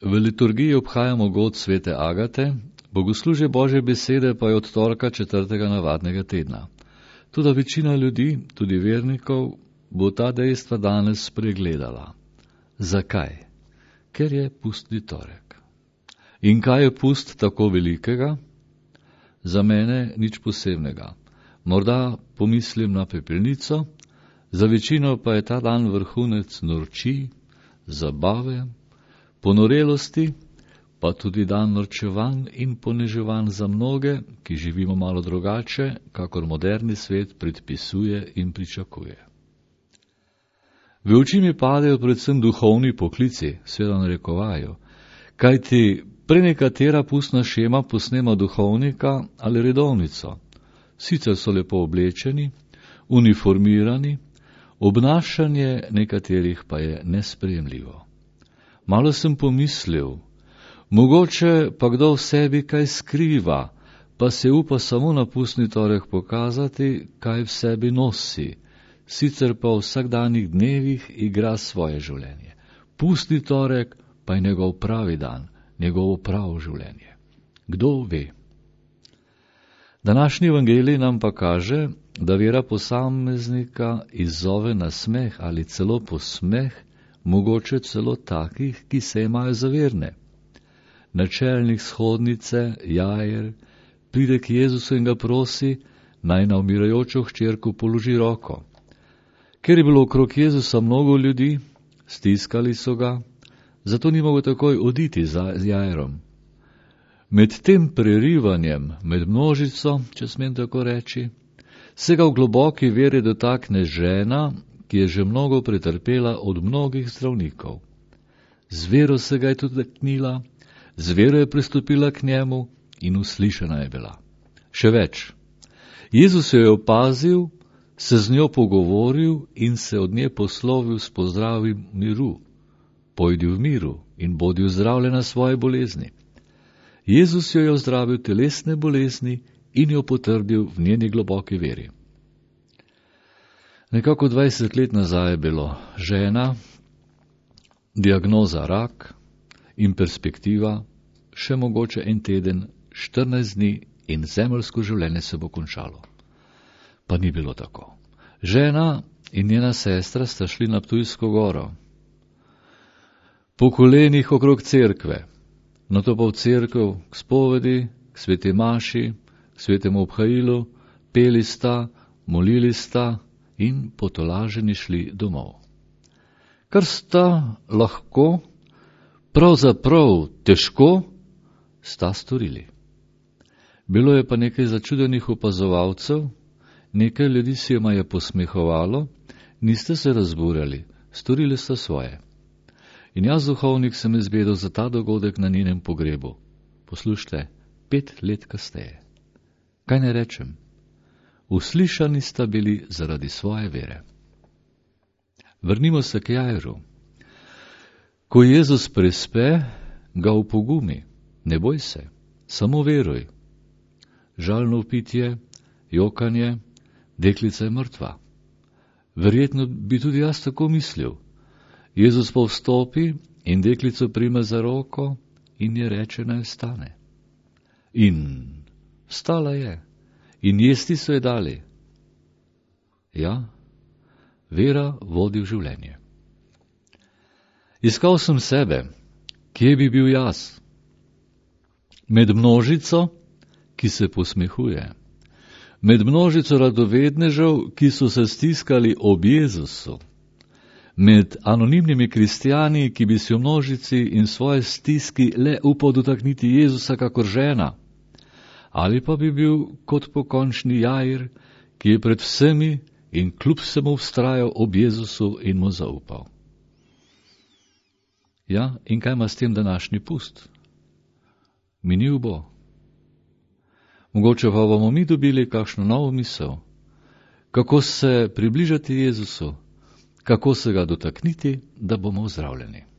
V liturgiji obhajamo god svete Agate, bogoslužje Božje besede pa je od torka 4. navadnega tedna. Toda večina ljudi, tudi vernikov, bo ta dejstva danes spregledala. Zakaj? Ker je pustni torek. In kaj je pust tako velikega? Za mene nič posebnega. Morda pomislim na pepelnico, za večino pa je ta dan vrhunec norčij, zabave, ponorelosti, pa tudi dan norčevanj in poniževanj za mnoge, ki živimo malo drugače, kakor moderni svet predpisuje in pričakuje. V oči mi padejo predvsem duhovni poklici, seveda narekovajo, kajti prenekatera pustna šema posnema duhovnika ali redovnico. Sicer so lepo oblečeni, uniformirani, obnašanje nekaterih pa je nesprejemljivo. Malo sem pomislil, mogoče pa kdo v sebi kaj skriva, pa se upa samo na pustni torek pokazati, kaj v sebi nosi, sicer pa v vsakdanjih dnevih igra svoje življenje. Pustni torek pa je njegov pravi dan, njegovo pravo življenje. Kdo ve? Današnji evangelij nam pa kaže, da vera posameznika izzove na smeh ali celo posmeh, mogoče celo takih, ki se imajo za verne. Načelnik shodnice, Jair, pride k Jezusu in ga prosi, naj na umirajočo hčerko položi roko. Ker je bilo okrog Jezusa mnogo ljudi, stiskali so ga, zato ni mogel takoj oditi za Jairom. Med tem prerivanjem, med množico, če smem tako reči, se ga v globoki veri dotakne žena, ki je že mnogo pretrpela od mnogih zdravnikov. Z vero se ga je tudi dotaknila, z vero je pristopila k njemu in uslišana je bila. Še več, Jezus jo je opazil, se z njo pogovoril in se od nje poslovil s pozdravim miru. Pojdi v miru in bodi ozdravljena svoje bolezni. Jezus jo je ozdravil telesne bolezni in jo potrdil v njeni globoki veri. Nekako 20 let nazaj je bilo žena, diagnoza rak in perspektiva, še mogoče en teden, 14 dni in zemeljsko življenje se bo končalo. Pa ni bilo tako. Žena in njena sestra sta šli na Ptujsko goro. Po kolenih okrog cerkve, nato pa v cerkev k spovedi, k sveti maši, k svetemu obhajilu, peli sta, molili sta in potolaženi šli domov. Kar sta lahko, pravzaprav težko, sta storili. Bilo je pa nekaj začudenih opazovalcev, nekaj ljudi se jima je posmehovalo, niste se razburjali, storili sta svoje. In jaz, duhovnik, sem izvedel za ta dogodek na njenem pogrebu. Poslušajte, 5 let kasneje. Kaj ne rečem? Uslišani sta bili zaradi svoje vere. Vrnimo se k Jairu. Ko Jezus prespe, ga opogumi. Ne boj se, samo veruj. Žalno vpitje, jokanje, deklica je mrtva. Verjetno bi tudi jaz tako mislil. Jezus pa vstopi in deklico prime za roko in je reče, naj vstane. In vstala je. In jesti so je dali. Ja, vera vodi v življenje. Iskal sem sebe, kje bi bil jaz? Med množico, ki se posmehuje. Med množico radovednežev, ki so se stiskali ob Jezusu. Med anonimnimi kristjani, ki bi si v množici in svoje stiski le upal dotakniti Jezusa kakor žena. Ali pa bi bil kot pokončni Jair, ki je pred vsemi in kljub vsemu vztrajal ob Jezusu in mu zaupal. Ja, in kaj ima s tem današnji pust? Minil bo. Mogoče pa bomo mi dobili kakšno novo misel, kako se približati Jezusu, kako se ga dotakniti, da bomo ozdravljeni.